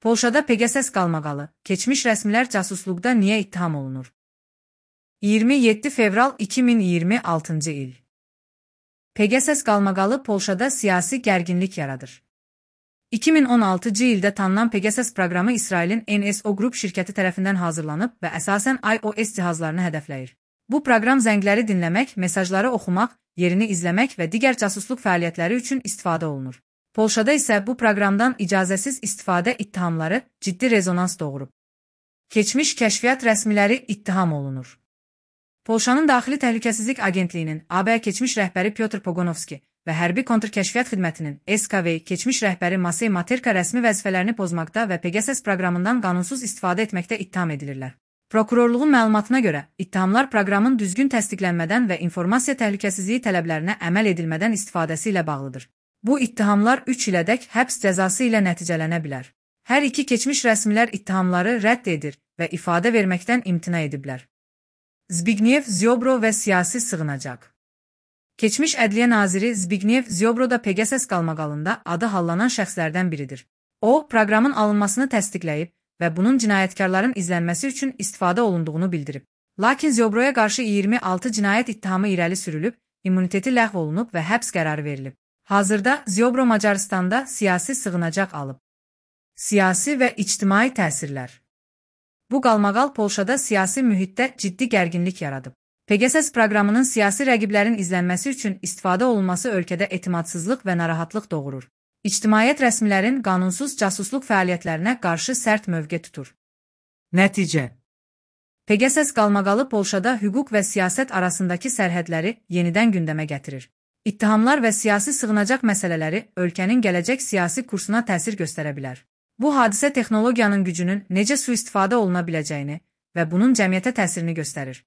Polşada Pegasus qalmaqalı, keçmiş rəsmilər casusluqda niyə ittiham olunur? 27 fevral 2026-cı il. Pegasus qalmaqalı Polşada siyasi gərginlik yaradır. 2016-cı ildə tanınan Pegasus proqramı İsrailin NSO Group şirkəti tərəfindən hazırlanıb və əsasən iOS cihazlarını hədəfləyir. Bu proqram zəngləri dinləmək, mesajları oxumaq, yerini izləmək və digər casusluq fəaliyyətləri üçün istifadə olunur. Polşada isə bu proqramdan icazəsiz istifadə ittihamları ciddi rezonans doğurub. Keçmiş kəşfiyyat rəsmiləri ittiham olunur. Polşanın Daxili Təhlükəsizlik Agentliyinin AB keçmiş rəhbəri Pyotr Pogonovski və Hərbi Kontrkəşfiyyat Xidmətinin SKV keçmiş rəhbəri Masey Materka rəsmi vəzifələrini pozmaqda və Pegasus proqramından qanunsuz istifadə etməkdə ittiham edilirlər. Prokurorluğun məlumatına görə, ittihamlar proqramın düzgün təsdiqlənmədən və informasiya təhlükəsizliyi tələblərinə əməl edilmədən istifadəsi ilə bağlıdır. Bu ittihamlar 3 ilədək həbs cəzası ilə nəticələnə bilər. Hər iki keçmiş rəsmilər ittihamları rədd edir və ifadə verməkdən imtina ediblər. Zbigniew Ziobro və siyasi sığınacaq. Keçmiş Ədliyyə naziri Zbigniew Ziobro da Pegasus qalmaqalında adı hallanan şəxslərdən biridir. O, proqramın alınmasını təsdiqləyib və bunun cinayətkarların izlənməsi üçün istifadə olunduğunu bildirib. Lakin Ziobroya qarşı 26 cinayət ittihamı irəli sürülüb, immuniteti ləğv olunub və həbs qərarı verilib. Hazırda Ziobro Macaristanda siyasi sığınacaq alıb. Siyasi və ictimai təsirlər. Bu qalmaqal Polşada siyasi mühitdə ciddi gərginlik yaradıb. Pegasus proqramının siyasi rəqiblərin izlənməsi üçün istifadə olunması ölkədə etimadsızlıq və narahatlıq doğurur. İctimaiyyət rəsmilərin qanunsuz casusluq fəaliyyətlərinə qarşı sərt mövqe tutur. Nəticə. Pegasus qalmaqalı Polşada hüquq və siyasət arasındakı sərhədləri yenidən gündəmə gətirir. İttihamlar və siyasi sığınacaq məsələləri ölkənin gələcək siyasi kursuna təsir göstərə bilər. Bu hadisə texnologiyanın gücünün necə sui-istifadə oluna biləcəyini və bunun cəmiyyətə təsirini göstərir.